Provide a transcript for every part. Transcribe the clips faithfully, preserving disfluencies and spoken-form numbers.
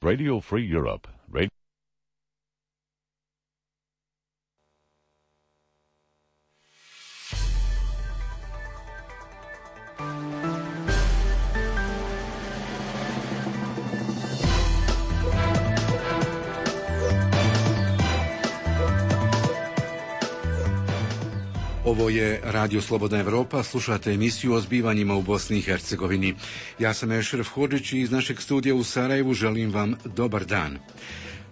Radio Free Europe. Radio Ovo je Radio Slobodna Evropa, slušate emisiju o zbivanjima u Bosni i Hercegovini. Ja sam Ešref Hodžić i iz našeg studija u Sarajevu želim vam dobar dan.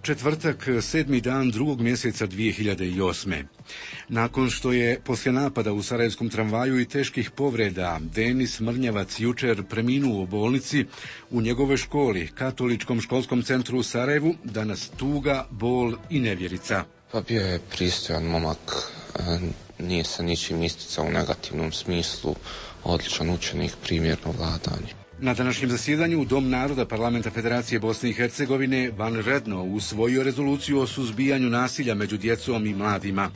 Četvrtak, sedmi dan drugog mjeseca dvije hiljade osme. Nakon što je poslije napada u sarajevskom tramvaju i teških povreda Denis Mrnjavac jučer preminuo u bolnici, u njegovoj školi, Katoličkom školskom centru u Sarajevu, danas tuga, bol i nevjerica. Pa bio je pristojan momak, nije se ničim isticao u negativnom smislu, odličan učenik, primjerno vladanje. Na današnjem zasjedanju Dom naroda Parlamenta Federacije Bosne i Hercegovine vanredno usvojio rezoluciju o suzbijanju nasilja među djecom i mladima.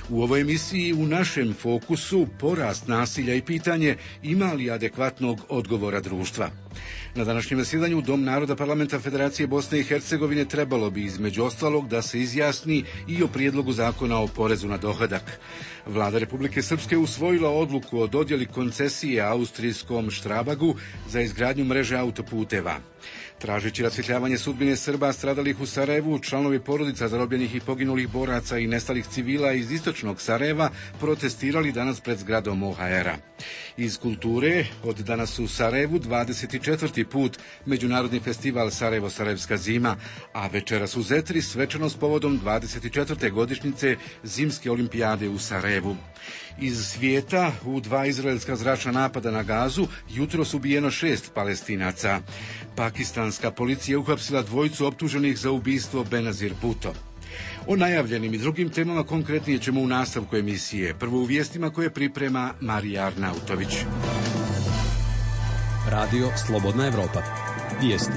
U ovoj emisiji u našem fokusu porast nasilja i pitanje ima li adekvatnog odgovora društva. Na današnjem zasjedanju Dom naroda Parlamenta Federacije Bosne i Hercegovine trebalo bi između ostalog da se izjasni i o prijedlogu zakona o porezu na dohodak. Vlada Republike Srpske usvojila odluku o dodjeli koncesije austrijskom Štrabagu za izgradnju mreže autoputeva. Tražeći rasvjetljavanje sudbine Srba stradalih u Sarajevu, članovi porodica zarobljenih i poginulih boraca i nestalih civila iz istočnog Sarajeva protestirali danas pred zgradom O H R-a. Iz kulture, od danas u Sarajevu dvadeset četvrti put Međunarodni festival Sarajevo-Sarajevska zima, a večeras u Zetri svečano s povodom dvadeset četvrte godišnjice Zimske olimpijade u Sarajevu. Iz svijeta, u dva izraelska zračna napada na Gazu jutros ubijeno šest Palestinaca. Pakistanska policija uhapsila dvojicu optuženih za ubistvo Benazir Bhutto. O najavljenim i drugim temama konkretnije ćemo u nastavku emisije. Prvo u vijestima koje priprema Marija Arnautović. Radio Slobodna Evropa. Vijesti.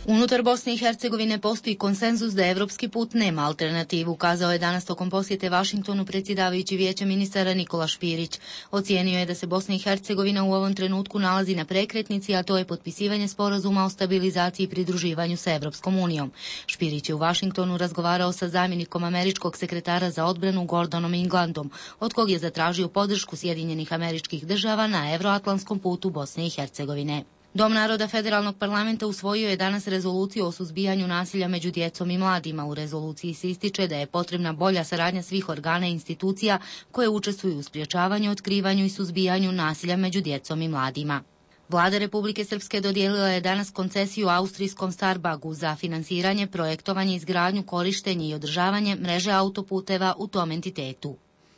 Unutar Bosne i Hercegovine postoji konsenzus da evropski put nema alternativu, kazao je danas tokom posjete Vašingtonu predsjedavajući Vijeća ministara Nikola Špirić. Ocijenio je da se Bosna i Hercegovina u ovom trenutku nalazi na prekretnici, a to je potpisivanje sporazuma o stabilizaciji i pridruživanju sa Evropskom unijom. Špirić je u Vašingtonu razgovarao sa zamjenikom američkog sekretara za odbranu Gordonom Englandom, od kog je zatražio podršku Sjedinjenih Američkih Država na evroatlantskom putu Bosne i Hercegovine. Dom naroda Federalnog parlamenta usvojio je danas rezoluciju o suzbijanju nasilja među djecom i mladima. U rezoluciji se ističe da je potrebna bolja saradnja svih organa i institucija koje učestvuju u sprječavanju, otkrivanju i suzbijanju nasilja među djecom i mladima. Vlada Republike Srpske dodijelila je danas koncesiju austrijskom Starbagu za finansiranje, projektovanje, izgradnju, korištenje i održavanje mreže autoputeva u tom entitetu.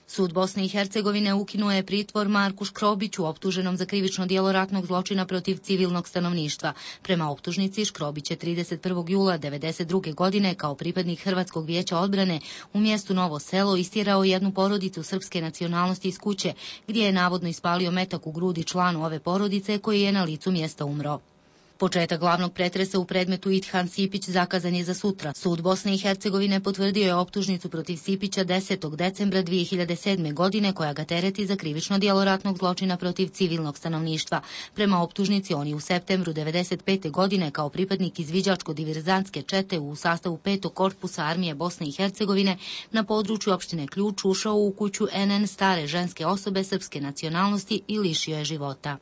Sud Bosne i Hercegovine ukinuo je pritvor Marku Škrobiću, optuženom za krivično djelo ratnog zločina protiv civilnog stanovništva. Prema optužnici, Škrobić je trideset prvog jula devedeset druge godine kao pripadnik Hrvatskog vijeća odbrane u mjestu Novo Selo istjerao jednu porodicu srpske nacionalnosti iz kuće, gdje je navodno ispalio metak u grudi članu ove porodice koji je na licu mjesta umro. Početak glavnog pretresa u predmetu Idhan Sipić zakazan je za sutra. Sud Bosne i Hercegovine potvrdio je optužnicu protiv Sipića desetog decembra dvije hiljade sedme. godine koja ga tereti za krivično djelo ratnog zločina protiv civilnog stanovništva. Prema optužnici on je u septembru devedeset pete. godine kao pripadnik izviđačko-diverzantske čete u sastavu petog korpusa armije Bosne i Hercegovine na području opštine Ključ ušao u kuću N N stare ženske osobe srpske nacionalnosti i lišio je života.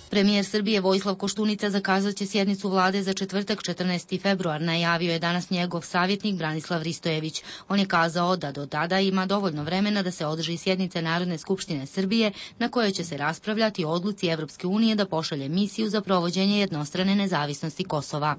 Premijer Srbije Vojislav Koštunica zakazat će sjednicu vlade za četvrtak četrnaesti februar, najavio je danas njegov savjetnik Branislav Ristojević. On je kazao da do tada ima dovoljno vremena da se održi sjednice Narodne skupštine Srbije na kojoj će se raspravljati o odluci Evropske unije da pošalje misiju za provođenje jednostrane nezavisnosti Kosova.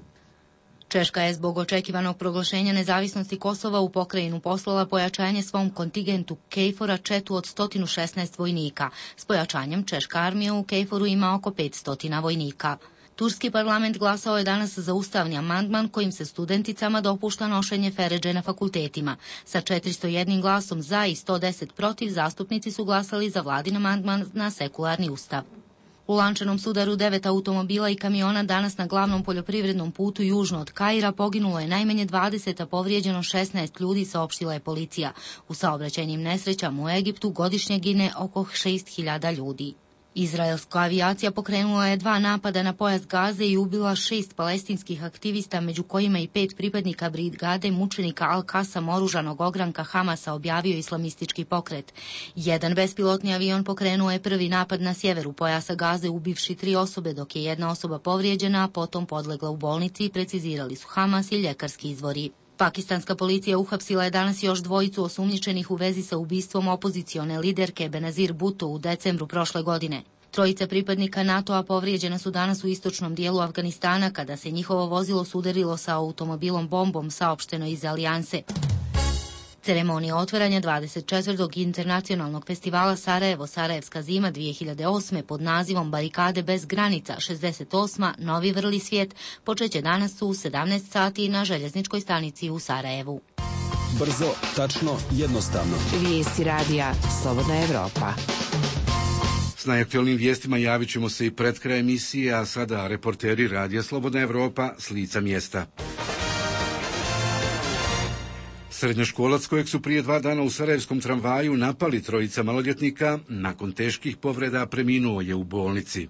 Češka je zbog očekivanog proglašenja nezavisnosti Kosova u pokrajinu poslala pojačanje svom kontingentu KFOR-a četu od sto šesnaest vojnika. S pojačanjem Češka armija u KFOR-u ima oko petsto vojnika. Turski parlament glasao je danas za ustavni amandman kojim se studenticama dopušta nošenje feredže na fakultetima. Sa četiristo jednim glasom za i sto deset protiv zastupnici su glasali za vladin amandman na sekularni ustav. U lančanom sudaru devet automobila i kamiona danas na glavnom poljoprivrednom putu južno od Kaira poginulo je najmanje dvadeset, a povrijeđeno šesnaest ljudi, saopštila je policija. U saobraćajnim nesrećama u Egiptu godišnje gine oko šest hiljada ljudi. Izraelska avijacija pokrenula je dva napada na pojas Gaze i ubila šest palestinskih aktivista, među kojima i pet pripadnika brigade mučenika Al-Kasam oružanog ogranka Hamasa, objavio islamistički pokret. Jedan bespilotni avion pokrenuo je prvi napad na sjeveru pojasa Gaze, ubivši tri osobe, dok je jedna osoba povrijeđena, a potom podlegla u bolnici, precizirali su Hamas i ljekarski izvori. Pakistanska policija uhapsila je danas još dvojicu osumnjičenih u vezi sa ubistvom opozicione liderke Benazir Bhutto u decembru prošle godine. Trojica pripadnika NATO-a povrijeđena su danas u istočnom dijelu Afganistana kada se njihovo vozilo sudarilo sa automobilom bombom, saopšteno iz Alijanse. Ceremonija otvaranja dvadeset četvrtog internacionalnog festivala Sarajevo Sarajevska zima dvije hiljade osme pod nazivom Barikade bez granica šezdeset osma Novi vrli svijet počeće danas u sedamnaest sati na željezničkoj stanici u Sarajevu. Brzo, tačno, jednostavno. Vijesti radija Slobodna Evropa. S najaktualnim vijestima javit ćemo se i pred kraj emisije, a sada reporteri Radija Slobodna Evropa s lica mjesta. Srednjoškolac kojeg su prije dva dana u sarajevskom tramvaju napali trojica maloljetnika, nakon teških povreda preminuo je u bolnici.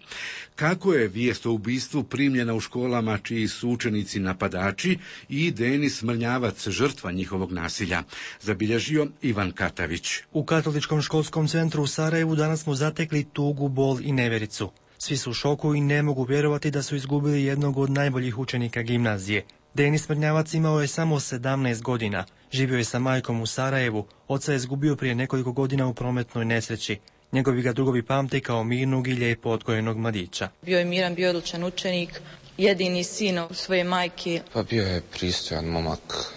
Kako je vijest o ubistvu primljena u školama čiji su učenici napadači i Denis Mrnjavac žrtva njihovog nasilja, zabilježio Ivan Katavić. U Katoličkom školskom centru u Sarajevu danas smo zatekli tugu, bol i nevjericu. Svi su u šoku i ne mogu vjerovati da su izgubili jednog od najboljih učenika gimnazije. Denis Mrnjavac imao je samo sedamnaest godina. Živio je sa majkom u Sarajevu, oca je izgubio prije nekoliko godina u prometnoj nesreći. Njegovi ga drugovi pamte kao mirnog i lijepo odgojenog mladića. Bio je miran, bio odlučan učenik, jedini sin svoje majke. Pa bio je pristojan momak,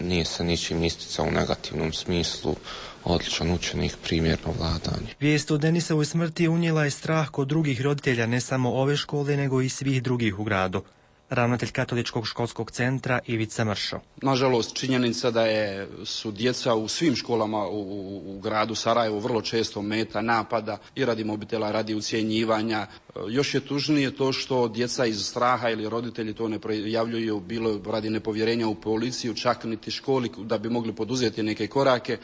nije se ničim isticao u negativnom smislu, odličan učenik, primjerno vladanje. Vijest o Denisovoj smrti unijela je strah kod drugih roditelja, ne samo ove škole, nego i svih drugih u gradu. Ravnatelj Katoličkog školskog centra Ivica Mršo. Nažalost, činjenica da je, su djeca u svim školama u, u, u gradu Sarajevo vrlo često meta napada i radi mobitela, radi ucjenjivanja. Još je tužnije to što djeca iz straha ili roditelji to ne prijavljuju, bilo radi nepovjerenja u policiju, čak niti školi da bi mogli poduzeti neke korake.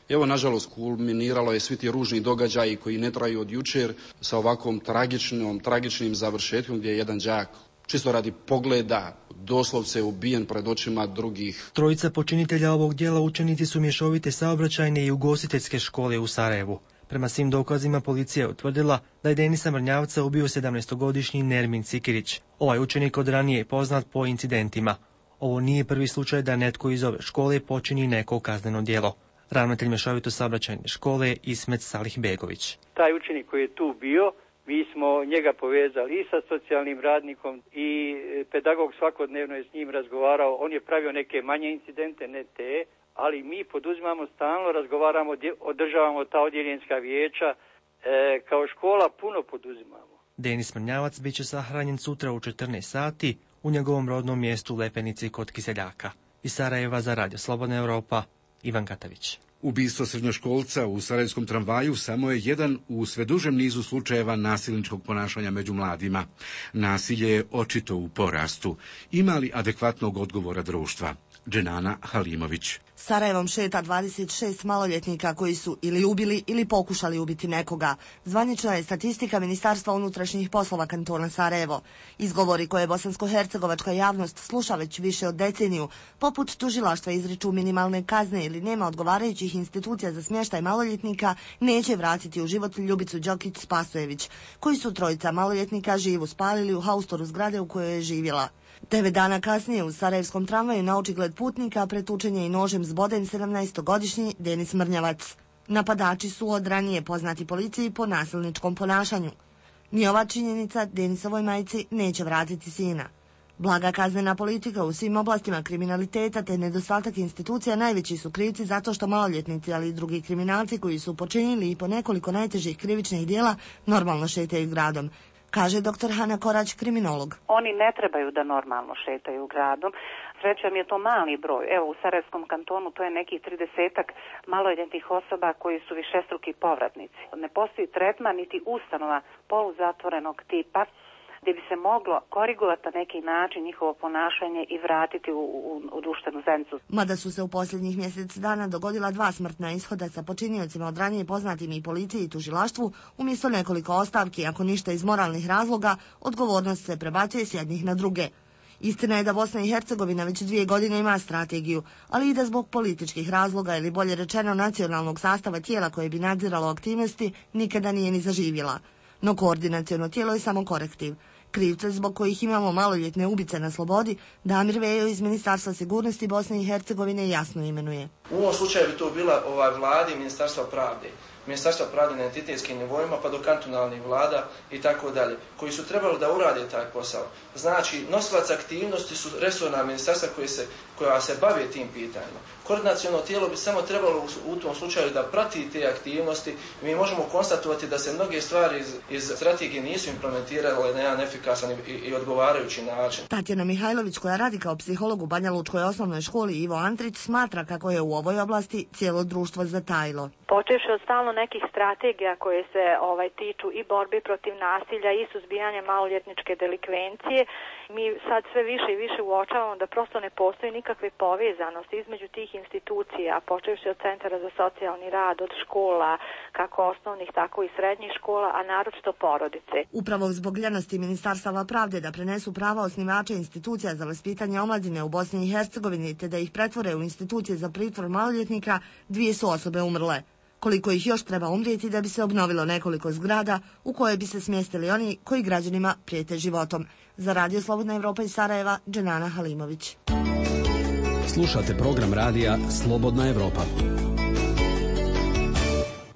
Evo, nažalost, kulminiralo je svi ti ružni događaji koji ne traju od jučer sa ovakvom tragičnom, tragičnim završetkom gdje je jedan đak čisto radi pogleda doslovce ubijen pred očima drugih. Trojica počinitelja ovog djela učenici su mješovite saobraćajne i ugostiteljske škole u Sarajevu. Prema svim dokazima policija je utvrdila da je Denisa Mrnjavca ubio sedamnaestogodišnji Nermin Sikirić. Ovaj učenik od ranije je poznat po incidentima. Ovo nije prvi slučaj da netko iz ove škole počini neko kazneno djelo. Ravnatelj mješovito saobraćajne škole Ismet Salih Begović. Taj učenik koji je tu bio, mi smo njega povezali i sa socijalnim radnikom i pedagog svakodnevno je s njim razgovarao. On je pravio neke manje incidente, ne te, ali mi poduzimamo stalno, razgovaramo, održavamo ta odjeljenska vijeća, e, kao škola puno poduzimamo. Denis Mrnjavac bit će sahranjen sutra u četrnaest sati u njegovom rodnom mjestu Lepenici kod Kiseljaka. Iz Sarajeva za Radio Slobodna Evropa, Ivan Katavić. Ubistvo srednjoškolca u sarajevskom tramvaju samo je jedan u sve dužem nizu slučajeva nasilničkog ponašanja među mladima. Nasilje je očito u porastu. Ima li adekvatnog odgovora društva? Dženana Halimović. Sarajevom šeta dvadeset šest maloljetnika koji su ili ubili ili pokušali ubiti nekoga. Zvanična je statistika Ministarstva unutrašnjih poslova kantona Sarajevo. Izgovori koje bosansko-hercegovačka javnost sluša već više od deceniju, poput tužilaštva izriču minimalne kazne ili nema odgovarajućih institucija za smještaj maloljetnika, neće vratiti u život Ljubicu Đokić-Spasojević, koji su trojica maloljetnika živu spalili u haustoru zgrade u kojoj je živjela. Devet dana kasnije u sarajevskom tramvaju na očigled putnika pretučen je i nožem zboden sedamnaestogodišnji Denis Mrnjavac. Napadači su od ranije poznati policiji po nasilničkom ponašanju. Ni ova činjenica Denisovoj majci neće vratiti sina. Blaga kaznena politika u svim oblastima kriminaliteta te nedostatak institucija najveći su krivci zato što maloljetnici, ali i drugi kriminalci koji su počinili i po nekoliko najtežih krivičnih dijela normalno šetaju gradom, kaže doktor Hana Korać, kriminolog. Oni ne trebaju da normalno šetaju gradom. Srećom je to mali broj. Evo, u Sarajevskom kantonu to je nekih tridesetak maloljetnih osoba koji su višestruki povratnici. Ne postoji tretman niti ustanova poluzatvorenog tipa gdje bi se moglo korigovati na neki način njihovo ponašanje i vratiti u, u, u društvenu zajednicu. Mada su se u posljednjih mjesec dana dogodila dva smrtna ishoda sa počiniocima od ranije poznatim i policiji i tužilaštvu, umjesto nekoliko ostavki, ako ništa iz moralnih razloga, odgovornost se prebacuje s jednih na druge. Istina je da Bosna i Hercegovina već dvije godine ima strategiju, ali i da zbog političkih razloga ili bolje rečeno nacionalnog sastava tijela koje bi nadziralo aktivnosti nikada nije ni zaživjela. No koordinaciono tijelo je samo korektiv. Krivce zbog kojih imamo maloljetne ubice na slobodi, Damir Vejo iz Ministarstva sigurnosti Bosne i Hercegovine jasno imenuje. U ovom slučaju bi to bila ovaj vladi i Ministarstva pravde. Ministarstva pravde na entitetskim nivoima pa do kantonalnih vlada i tako dalje, koji su trebali da urade taj posao. Znači, nosilac aktivnosti su resorna ministarstva koje se, koja se bave tim pitanjima. Koordinaciono tijelo bi samo trebalo u, u tom slučaju da prati te aktivnosti. Mi možemo konstatovati da se mnoge stvari iz, iz strategije nisu implementirale na jedan efikasan i, i odgovarajući način. Tatjana Mihajlović, koja radi kao psiholog u Banja Lučkoj osnovnoj školi Ivo Antrić, smatra kako je u ovoj oblasti cijelo društvo zatajilo. Počevši od stalno nekih strategija koje se ovaj tiču i borbe protiv nasilja i suzbijanja maloljetničke delikvencije, mi sad sve više i više uočavamo da prosto ne postoji nikakve povezanosti između tih institucija, počevši od centara za socijalni rad, od škola, kako osnovnih, tako i srednjih škola, a naročito porodice. Upravo zbog ljenosti Ministarstava pravde da prenesu prava osnivača institucija za vaspitanje omladine u Bosni i Hercegovini te da ih pretvore u institucije za pritvor maloljetnika, dvije su osobe umrle. Koliko ih još treba umrijeti da bi se obnovilo nekoliko zgrada u koje bi se smjestili oni koji građanima prijete životom. Za Radio Slobodna Evropa iz Sarajeva, Dženana Halimović. Slušate program radija Slobodna Evropa.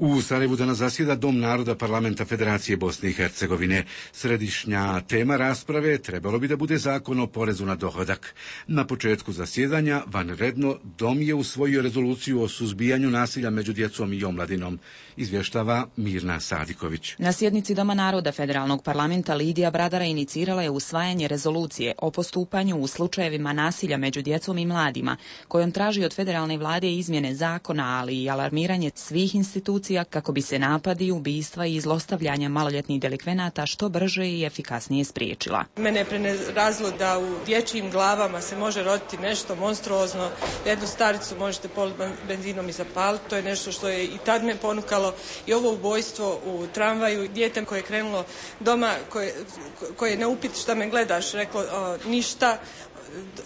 U Sarajevu danas zasjeda Dom naroda Parlamenta Federacije Bosne i Hercegovine. Središnja tema rasprave trebalo bi da bude zakon o porezu na dohodak. Na početku zasjedanja vanredno Dom je usvojio rezoluciju o suzbijanju nasilja među djecom i omladinom, izvještava Mirna Sadiković. Na sjednici Doma naroda Federalnog parlamenta Lidija Bradara inicirala je usvajanje rezolucije o postupanju u slučajevima nasilja među djecom i mladima, kojom traži od federalne vlade izmjene zakona, ali i alarmiranje svih institucija kako bi se napadi, ubistva i zlostavljanja maloljetnih delikvenata što brže i efikasnije spriječila. Mene je prenerazilo da u dječjim glavama se može roditi nešto monstruozno. Jednu staricu možete politi benzinom i zapaliti. To je nešto što je i tad me ponukalo. I ovo ubojstvo u tramvaju, dijete koje je krenulo doma, koje, koje na upit šta me gledaš, reklo o, ništa,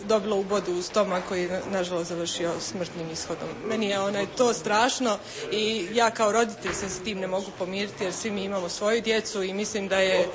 dobilo u bodu u stomak koji je nažalost završio smrtnim ishodom. Meni je onaj to strašno i ja kao roditelj se s tim ne mogu pomiriti jer svi mi imamo svoju djecu i mislim da je e,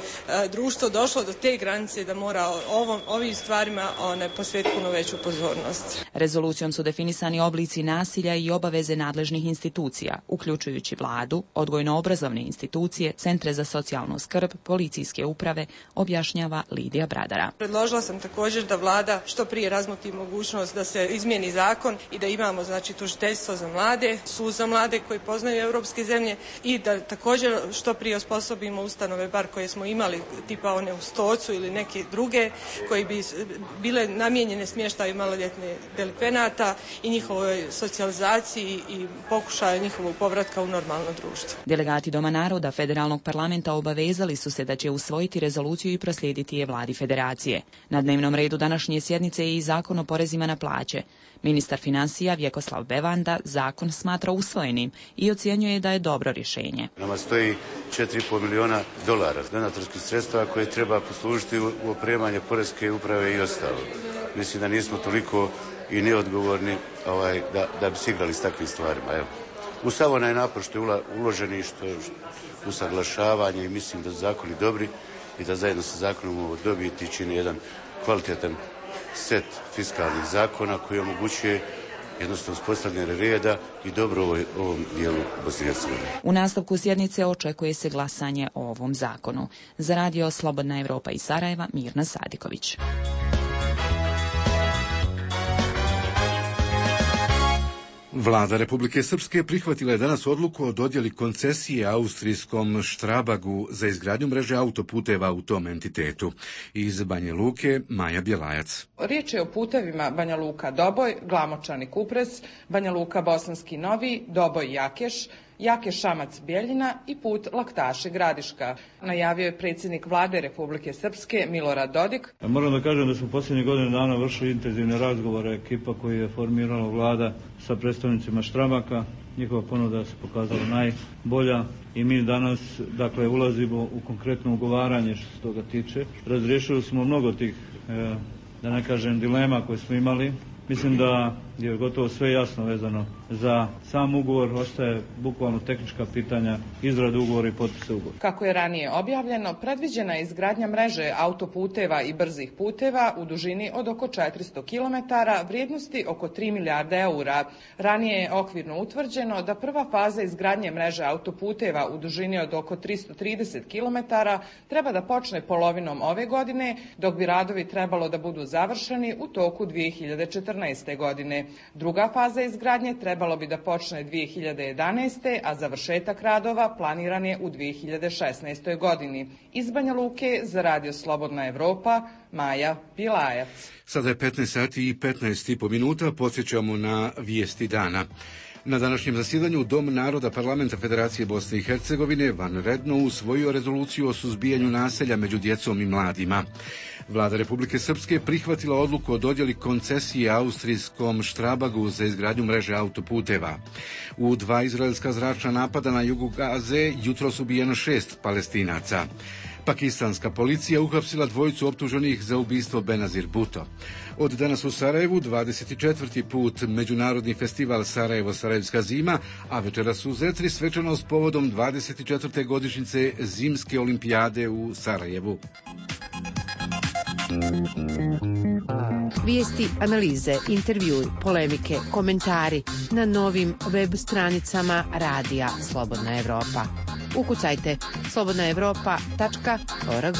društvo došlo do te granice da mora ovom, ovim stvarima one posvetiti puno veću pozornost. Rezolucijom su definisani oblici nasilja i obaveze nadležnih institucija, uključujući vladu, odgojno-obrazovne institucije, centre za socijalnu skrb, policijske uprave, objašnjava Lidija Bradara. Predložila sam također da vlada što prije razmotri mogućnost da se izmijeni zakon i da imamo znači tužiteljstvo za mlade, sud za mlade koji poznaju europske zemlje i da također što prije osposobimo ustanove bar koje smo imali tipa one u Stocu ili neke druge koji bi bile namijenjene smještaju maloljetne delikvenata i njihovoj socijalizaciji i pokušaju njihovog povratka u normalno društvo. Delegati Doma naroda Federalnog parlamenta obavezali su se da će usvojiti rezoluciju i proslijediti je vladi federacije. Na dnevnom redu današnje sjednice je i zakon o porezima na plaće. Ministar financija Vjekoslav Bevanda zakon smatra usvojenim i ocjenjuje da je dobro rješenje. Nama stoji četiri i pol milijuna dolara donatorskih sredstva koje treba poslužiti u opremanje poreske uprave i ostalo. Mislim da nismo toliko i neodgovorni ovaj, da, da bi se igrali s takvim stvarima. Evo. U sav onaj napor što je uloženi, što je usaglašavanje i mislim da su zakoni dobri i da zajedno sa zakonom ovo dobiti čini jedan kvalitetan set fiskalnih zakona koji omogućuje jednostavno uspostavljanje reda i dobro ovoj, ovom dijelu Bosne i Hercegovine. U nastavku sjednice očekuje se glasanje o ovom zakonu. Za Radio Slobodna Evropa iz Sarajeva, Mirna Sadiković. Vlada Republike Srpske prihvatila je danas odluku o dodjeli koncesije austrijskom Štrabagu za izgradnju mreže autoputeva u tom entitetu. Iz Banja Luke, Maja Bjelajac. Riječ je o putevima Banja Luka Doboj, Glamočani Kupres, Banja Luka Bosanski Novi, Doboj Jakeš Jake Šamac-Bjeljina i put Laktaši Gradiška, najavio je predsjednik vlade Republike Srpske Milorad Dodik. Moram da kažem da smo posljednjih godina dana vršili intenzivne razgovore ekipa koju je formirala vlada sa predstavnicima Štrabaka. Njihova ponuda se pokazala najbolja i mi danas dakle ulazimo u konkretno ugovaranje što se toga tiče. Razriješili smo mnogo tih, e, da ne kažem, dilema koje smo imali. Mislim da je gotovo sve jasno vezano za sam ugovor, ostaje bukvalno tehnička pitanja, izrada ugovora i potpisa ugovora. Kako je ranije objavljeno, predviđena je izgradnja mreže autoputeva i brzih puteva u dužini od oko četiristo kilometara, vrijednosti oko tri milijarde eura. Ranije je okvirno utvrđeno da prva faza izgradnje mreže autoputeva u dužini od oko tristo trideset kilometara treba da počne polovinom ove godine, dok bi radovi trebalo da budu završeni u toku dvije hiljade četrnaeste. godine. Druga faza izgradnje trebalo bi da počne dvije hiljade jedanaeste. a završetak radova planiran je u dvije hiljade šesnaestoj. godini. Iz Banja Luke za Radio Slobodna Evropa, Maja Pilajac. Sada je petnaest sati i petnaest i po minuta, podsjećamo na vijesti dana. Na današnjem zasjedanju Dom naroda Parlamenta Federacije Bosne i Hercegovine vanredno usvojio rezoluciju o suzbijanju nasilja među djecom i mladima. Vlada Republike Srpske prihvatila odluku o dodjeli koncesije austrijskom Štrabagu za izgradnju mreže autoputeva. U dva izraelska zračna napada na jugu Gaze jutros ubijeno šest Palestinaca. Pakistanska policija uhapsila dvojicu optuženih za ubistvo Benazir Bhutto. Od danas u Sarajevu dvadeset četvrti put Međunarodni festival Sarajevo-Sarajevska zima, a večeras u Zetri svečanost povodom dvadeset četvrte godišnjice Zimske olimpijade u Sarajevu. Vijesti, analize, intervjui, polemike, komentari na novim web stranicama Radija Slobodna Evropa. Ukucajte slobodna evropa tačka org.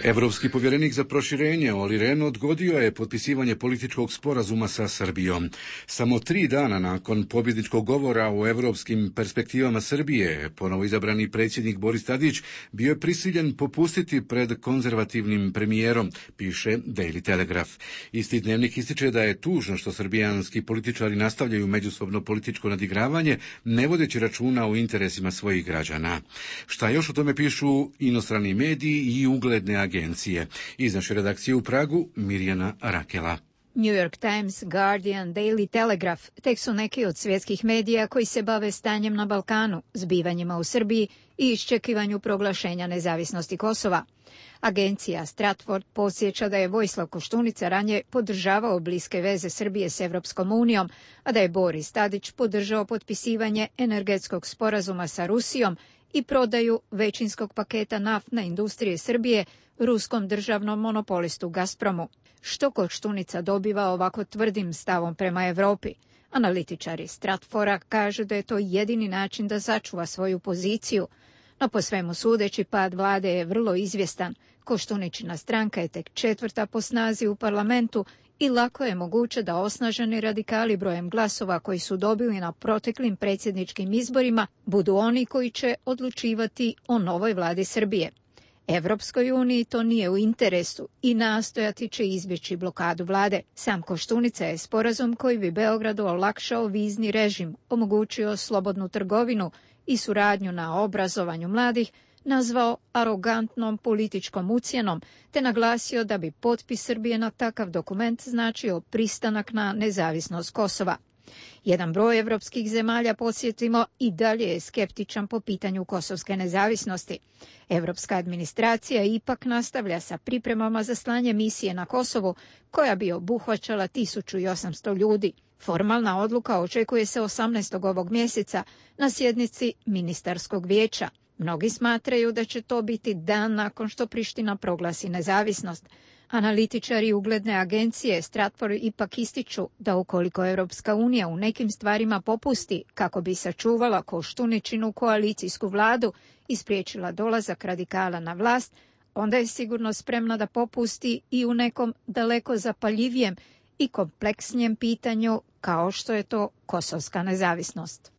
Evropski povjerenik za proširenje Olli Rehn odgodio je potpisivanje političkog sporazuma sa Srbijom. Samo tri dana nakon pobjedničkog govora o evropskim perspektivama Srbije, ponovo izabrani predsjednik Boris Tadić bio je prisiljen popustiti pred konzervativnim premijerom, piše Daily Telegraph. Isti dnevnik ističe da je tužno što srbijanski političari nastavljaju međusobno političko nadigravanje, ne vodeći računa o interesima svojih građana. Šta još o tome pišu inostrani mediji i ugledne agencije. Agencije. Iz naše redakcije u Pragu, Mirjana Rakela. New York Times, Guardian, Daily Telegraph tek su neki od svjetskih medija koji se bave stanjem na Balkanu, zbivanjima u Srbiji i iščekivanju proglašenja nezavisnosti Kosova. Agencija Stratford podsjeća da je Vojislav Koštunica ranije podržavao bliske veze Srbije s Evropskom unijom, a da je Boris Tadić podržao potpisivanje energetskog sporazuma sa Rusijom i prodaju većinskog paketa naftne industrije Srbije ruskom državnom monopolistu Gazpromu. Što Koštunica dobiva ovako tvrdim stavom prema Evropi? Analitičari Stratfora kažu da je to jedini način da sačuva svoju poziciju, no po svemu sudeći pad vlade je vrlo izvjestan. Koštuničina stranka je tek četvrta po snazi u parlamentu i lako je moguće da osnaženi radikali brojem glasova koji su dobili na proteklim predsjedničkim izborima budu oni koji će odlučivati o novoj vladi Srbije. Evropskoj uniji to nije u interesu i nastojati će izbjeći blokadu vlade. Sam Koštunica je sporazum koji bi Beogradu olakšao vizni režim, omogućio slobodnu trgovinu i suradnju na obrazovanju mladih, nazvao arogantnom političkom ucjenom, te naglasio da bi potpis Srbije na takav dokument značio pristanak na nezavisnost Kosova. Jedan broj evropskih zemalja, podsjetimo, i dalje je skeptičan po pitanju kosovske nezavisnosti. Evropska administracija ipak nastavlja sa pripremama za slanje misije na Kosovu, koja bi obuhvaćala tisuću osamsto ljudi. Formalna odluka očekuje se osamnaestog ovog mjeseca na sjednici ministarskog vijeća. Mnogi smatraju da će to biti dan nakon što Priština proglasi nezavisnost. Analitičari ugledne agencije Stratford ipak ističu da ukoliko Evropska unija u nekim stvarima popusti kako bi sačuvala Koštuničinu koalicijsku vladu i spriječila dolazak radikala na vlast, onda je sigurno spremna da popusti i u nekom daleko zapaljivijem i kompleksnijem pitanju kao što je to kosovska nezavisnost.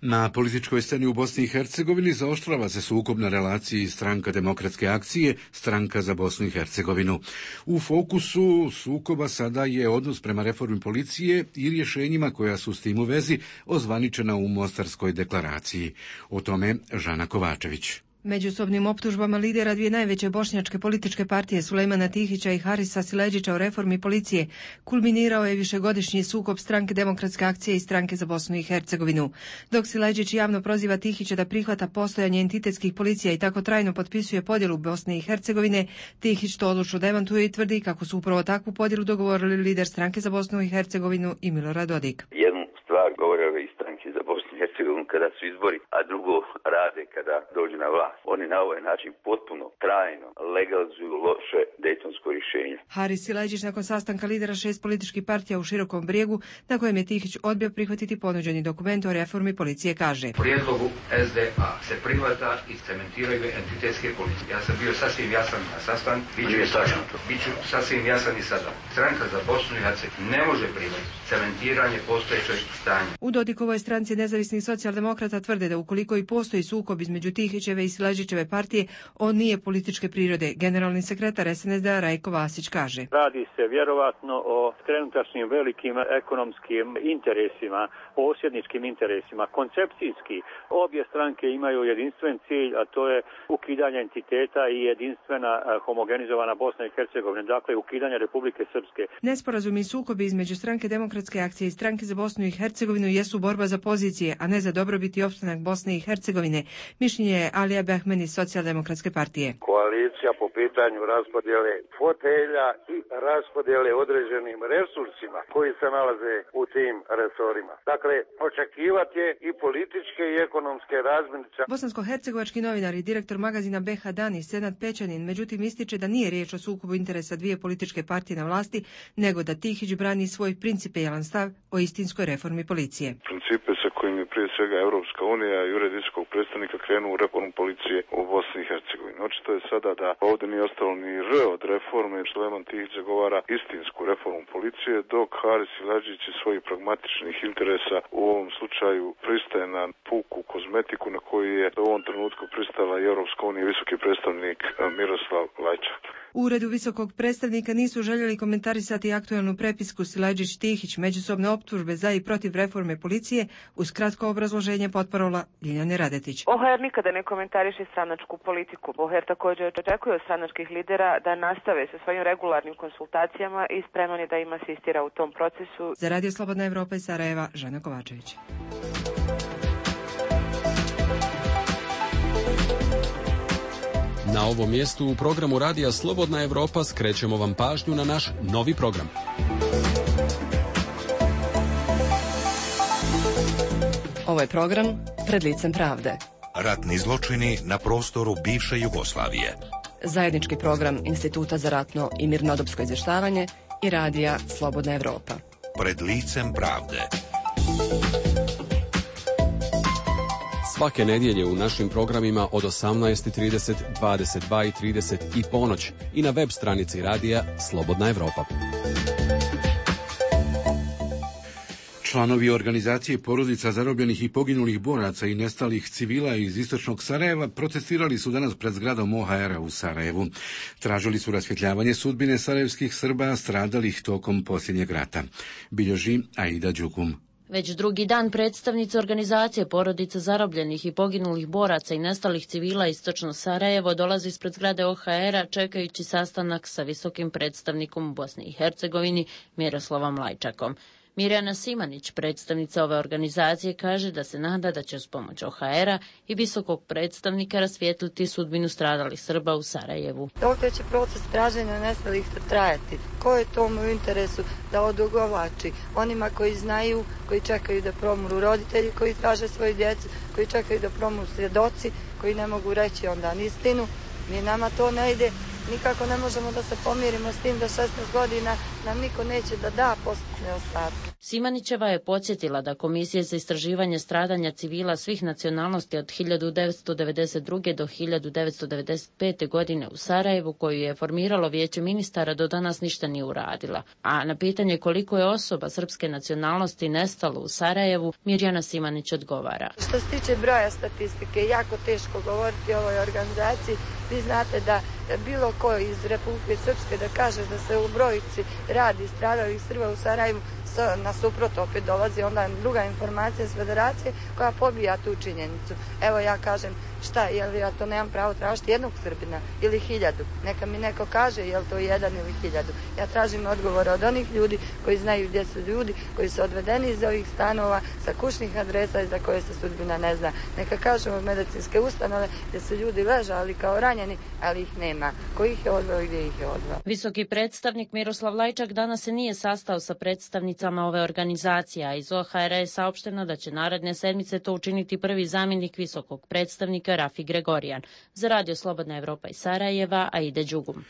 Na političkoj sceni u Bosni i Hercegovini zaoštrava se sukob na relaciji Stranka demokratske akcije, Stranka za Bosnu i Hercegovinu. U fokusu sukoba sada je odnos prema reformi policije i rješenjima koja su s tim u vezi ozvaničena u Mostarskoj deklaraciji. O tome Žana Kovačević. Međusobnim optužbama lidera dvije najveće bošnjačke političke partije Sulejmana Tihića i Harisa Siledžića o reformi policije kulminirao je višegodišnji sukob Stranke demokratske akcije i Stranke za Bosnu i Hercegovinu. Dok Siledžić javno proziva Tihića da prihvata postojanje entitetskih policija i tako trajno potpisuje podjelu Bosne i Hercegovine, Tihić to odlučno demantuje i tvrdi kako su upravo takvu podjelu dogovorili lider Stranke za Bosnu i Hercegovinu i Milorad Dodik. Jednu stvar govore ove iz Stranke za Bosnu i Hercegovinu kada su izbori, a drugo rade kada dođu na vlast. Oni na ovaj način potpuno, trajno legalizuju loše dejtonsko rješenje. Haris Siledžić nakon sastanka lidera šest političkih partija u Širokom Brijegu, na kojem je Tihić odbio prihvatiti ponuđeni dokument o reformi policije, kaže: Prijedlogu es de a se prihvata i cementiraju entitetske policije. Ja sam bio sasvim jasan na sastanku, biću sasvim jasan i sada. Stranka za Bosnu i Hercegovinu ne može prihvatiti cementiranje postojećeg stanja. U Dodikovoj stranci nezavisnih socijaldemokrata tvrde da ukoliko i postoji sukob između Tihićeve i Siledžićeve partije, on nije političke prirode. Generalni sekretar es en es de a Rajko Vasić kaže: Radi se vjerovatno o trenutačnim velikim ekonomskim interesima, posjedničkim interesima. Koncepcijski obje stranke imaju jedinstven cilj, a to je ukidanje entiteta i jedinstvena homogenizovana Bosna i Hercegovina, dakle ukidanje Republike Srpske. Nesporazumi i sukobi između Stranke demokratske akcije i Stranke za Bosnu i Hercegovinu jesu borba za pozicije, a ne za dobrobit i opstanak Bosne i Hercegovine. Mišljenje je Alija Behmeni iz Socijaldemokratske partije. Koalicija po pitanju raspodjele fotelja i raspodjele određenim resursima koji se nalaze u tim resorima. Dakle, očekivati je i političke i ekonomske razmirice. Bosansko-hercegovački novinar i direktor magazina be ha Dani, Senad Pećanin, međutim ističe da nije riječ o sukobu interesa dvije političke partije na vlasti, nego da Tihić brani svoj principijelan stav o istinskoj reformi policije. Principe sa kojim je prije svega Europska unija i ured visokog predstavnika krenuo u reformu policije u Bosni i Hercegovini. Očito je sada da ovdje nije ostalo ni R od reforme, Sulejman Tihić zagovara istinsku reformu policije, dok Haris Siledžić iz svojih pragmatičnih interesa u ovom slučaju pristaje na puku kozmetiku na koju je u ovom trenutku pristala i Europska unija i visoki predstavnik Miroslav Lajčak. U uredu visokog predstavnika nisu željeli komentarisati aktualnu prepisku Siledžić-Tihić međusobne optužbe za i protiv reforme policije, uz kratko obrazloženje potparola Ljiljane Radetić. o ha er nikada ne komentariše stranačku politiku. o ha er također očekuje od stranačkih lidera da nastave sa svojim regularnim konsultacijama i spreman je da im asistira u tom procesu. Za Radio Slobodna Evropa iz Sarajeva, Žana Kovačević. Na ovom mjestu u programu Radija Slobodna Evropa skrećemo vam pažnju na naš novi program. Ovo je program Pred licem pravde. Ratni zločini na prostoru bivše Jugoslavije. Zajednički program Instituta za ratno i mirnodopsko izvještavanje i Radija Slobodna Evropa. Pred licem pravde. Svake nedjelje u našim programima od osamnaest i trideset, dvadeset dva i trideset i ponoć i na web stranici Radija Slobodna Evropa. Članovi organizacije porodica zarobljenih i poginulih boraca i nestalih civila iz istočnog Sarajeva protestirali su danas pred zgradom o ha era u Sarajevu. Tražili su rasvjetljavanje sudbine sarajevskih Srba stradalih tokom posljednjeg rata. Bilježi Aida Đukum. Već drugi dan predstavnici organizacije porodica zarobljenih i poginulih boraca i nestalih civila istočno Sarajevo dolazi ispred zgrade o ha era čekajući sastanak sa visokim predstavnikom u Bosni i Hercegovini Miroslavom Lajčakom. Mirjana Simanić, predstavnica ove organizacije, kaže da se nada da će uz pomoć o ha era i visokog predstavnika rasvijetliti sudbinu stradalih Srba u Sarajevu. Dokle će proces traženja nestalih trajati? Ko je tomu u interesu da odugovlači? Onima koji znaju, koji čekaju da promru roditelji, koji traže svoju djecu, koji čekaju da promru svjedoci, koji ne mogu reći onda istinu. Mi nama to ne ide. Nikako ne možemo da se pomirimo s tim da šesnaest godina nam niko neće da da posmrtne ostatke. Simanićeva je podsjetila da Komisija za istraživanje stradanja civila svih nacionalnosti od hiljadu devetsto devedeset druge do hiljadu devetsto devedeset pete. godine u Sarajevu, koju je formiralo Vijeće ministara, do danas ništa nije uradila. A na pitanje koliko je osoba srpske nacionalnosti nestalo u Sarajevu, Mirjana Simanić odgovara. Što se tiče broja statistike, jako teško govoriti o ovoj organizaciji. Vi znate da bilo ko iz Republike Srpske da kaže da se u brojici radi stradalih Srba u Sarajevu, nasuprot opet dolazi onda druga informacija s federacije koja pobija tu činjenicu. Evo ja kažem, šta, jel ja to nemam pravo tražiti jednog Srbina ili hiljadu? Neka mi neko kaže jel to jedan ili hiljadu. Ja tražim odgovore od onih ljudi koji znaju gdje su ljudi, koji su odvedeni iz ovih stanova sa kućnih adresa i za koje se sudbina ne zna. Neka kažemo od medicinske ustanove gdje su ljudi ležali kao ranjeni, ali ih nema. Ko ih je odveo i gdje ih je odveo? Visoki predstavnik Miroslav Lajčak danas se nije sastao sa predstavnicama ove organizacije, a iz O H R-a je saopšteno da će naredne sedmice to učiniti prvi zamjenik visokog predstavnika Rafi Gregorijan. Za Radio Slobodna Evropa iz Sarajeva, Aida Đugum.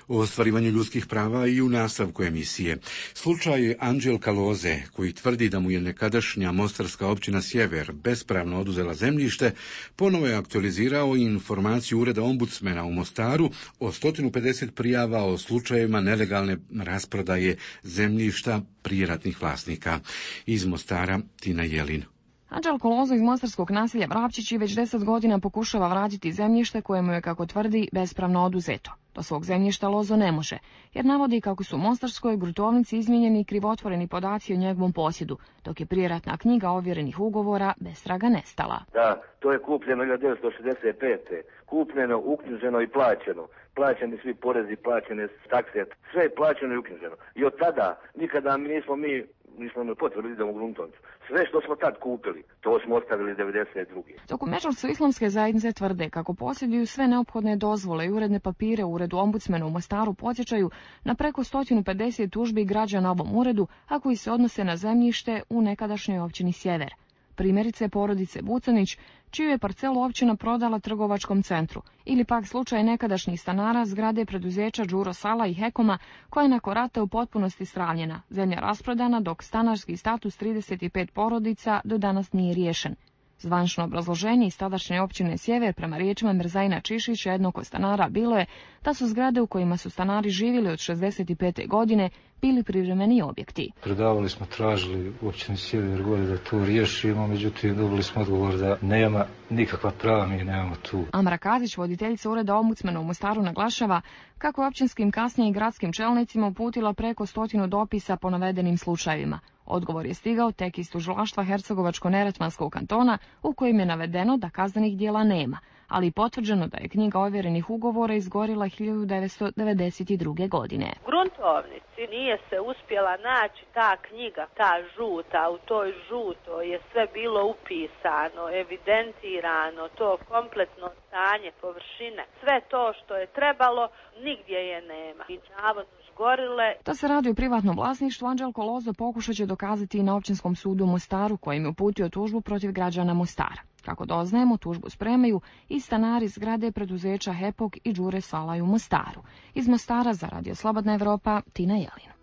O ostvarivanju ljudskih prava i u nastavku emisije. Slučaj Anđelka Loze, koji tvrdi da mu je nekadašnja mostarska općina Sjever bespravno oduzela zemljište, ponovo je aktualizirao informaciju Ureda ombudsmena u Mostaru o sto pedeset prijava o slučajevima nelegalne rasprodaje zemljišta prijeratnih vlasnika. Iz Mostara, Tina Jelin. Anđelko Lozo iz mostarskog naselja Vrapčići već deset godina pokušava vratiti zemljište koje mu je, kako tvrdi, bespravno oduzeto. Do svog zemljišta Lozo ne može, jer navodi kako su u mostarskoj gruntovnici izmijenjeni i krivotvoreni podaci o njegovom posjedu, dok je prijeratna knjiga ovjerenih ugovora bez traga nestala. Da, to je kupljeno hiljadu devetsto šezdeset pete. Kupljeno, uknjiženo i plaćeno. Plaćeni svi porezi, plaćene takse, sve je plaćeno i uknjiženo. I od tada nikada mi nismo mi nismo imali potvrdu da idemo u gruntovnicu. Sve što smo tad kupili, to smo ostavili devedeset druge. Dok u Međunarodne islamske zajednice tvrde kako posjeduju sve neophodne dozvole i uredne papire u Uredu ombudsmena u Mostaru, podsjećaju na preko sto pedeset tužbi građana ovom uredu, a koji se odnose na zemljište u nekadašnjoj općini Sjever. Primjerice porodice Bucanić, čiju je parcelu općina prodala trgovačkom centru, ili pak slučaj nekadašnjih stanara zgrade preduzeća Đuro Sala i Hekoma, koja je nakon rata u potpunosti stravljena, zemlja rasprodana, dok stanarski status trideset pet porodica do danas nije riješen. Zvanično obrazloženje iz tadašnje općine Sjever prema riječima Mirzajna Čišića, jednog od stanara, bilo je da su zgrade u kojima su stanari živjeli od šezdeset pete. godine bili privremeni objekti. Predavali smo, tražili u općini Sjever gore da to riješimo, međutim dobili smo odgovor da nema nikakva prava, mi nemamo tu. Amra Kazić, voditeljica Ureda ombudsmena u Mostaru, naglašava kako je općinskim, kasnije i gradskim čelnicima uputila preko stotinu dopisa po navedenim slučajevima. Odgovor je stigao tek iz tužilaštva Hercegovačko-Neretvanskog kantona, u kojem je navedeno da kaznenih dijela nema, ali potvrđeno da je knjiga ovjerenih ugovora izgorila hiljadu devetsto devedeset druge. godine. U gruntovnici nije se uspjela naći ta knjiga, ta žuta, u toj žutoj je sve bilo upisano, evidentirano, to kompletno stanje površine, sve to što je trebalo, nigdje je nema. I navodno gorile. Da se radi o privatnom vlasništvu, Anđelko Lozo pokušat će dokazati i na općinskom sudu u Mostaru, kojim je uputio tužbu protiv građana Mostara. Kako doznajemo, tužbu spremaju i stanari zgrade preduzeća Hepok i Đure Salaj u Mostaru. Iz Mostara za Radio Slobodna Evropa, Tina Jelin.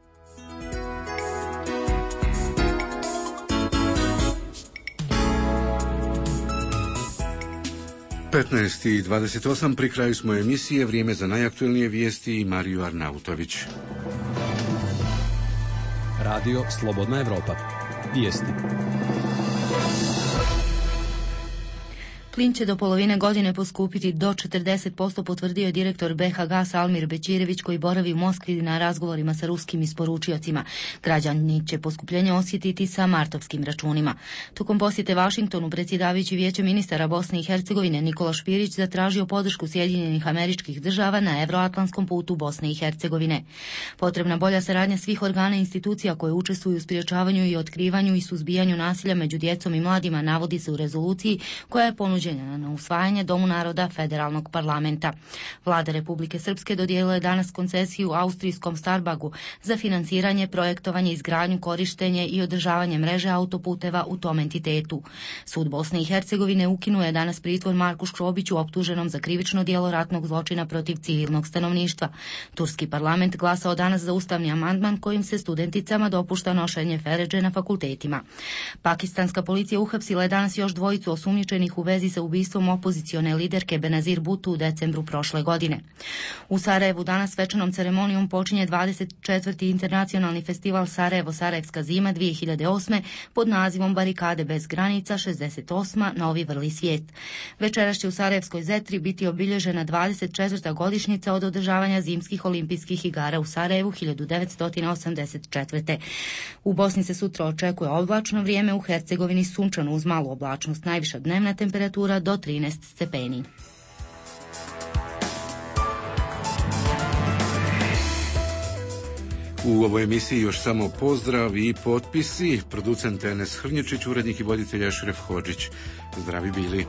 petnaest i dvadeset osam, pri kraju smo emisije, vrijeme za najaktuelnije vijesti i Mariju Arnautović. Radio Slobodna Evropa. Vijesti. Plin će do polovine godine poskupiti do četrdeset posto, potvrdio je direktor B H G Almir Bećirević, koji boravi u Moskvi na razgovorima sa ruskim isporučiocima. Građani će poskupljenje osjetiti sa martovskim računima. Tokom posjete Vašingtonu, predsjedavajući Vijeće ministara Bosne i Hercegovine Nikola Špirić zatražio podršku Sjedinjenih Američkih Država na evroatlantskom putu Bosne i Hercegovine. Potrebna bolja saradnja svih organa i institucija koje učestvuju u sprječavanju i otkrivanju i suzbijanju nasilja među djecom i mladima, navodi se u rezoluciji koja je ponuđena ponuđena na usvajanje Domu naroda Federalnog parlamenta. Vlada Republike Srpske dodijelila je danas koncesiju austrijskom Starbagu za finansiranje, projektovanje, izgradnju, korištenje i održavanje mreže autoputeva u tom entitetu. Sud Bosne i Hercegovine ukinuo je danas pritvor Marku Škrobiću optuženom za krivično djelo ratnog zločina protiv civilnog stanovništva. Turski parlament glasao danas za ustavni amandman kojim se studenticama dopušta nošenje feredže na fakultetima. Pakistanska policija uhapsila je danas još dvojicu osumnjičenih u vezi sa ubistvom opozicione liderke Benazir Bhutto u decembru prošle godine. U Sarajevu danas svečanom ceremonijom počinje dvadeset četvrti internacionalni festival Sarajevo Sarajevska zima dvije hiljade osme pod nazivom Barikade bez granica šezdeset osma Novi vrli svijet. Večeras će u Sarajevskoj Zetri biti obilježena dvadeset četvrta godišnjica od održavanja zimskih olimpijskih igara u Sarajevu hiljadu devetsto osamdeset četvrte. U Bosni se sutra očekuje oblačno vrijeme, u Hercegovini sunčano uz malu oblačnost, najviša dnevna temperatura do trinaest stepeni. U ovoj emisiji još samo pozdrav i potpisi. Producent Enes Hrnječić, urednik i voditelj Ešref Hodžić. Zdravi bili.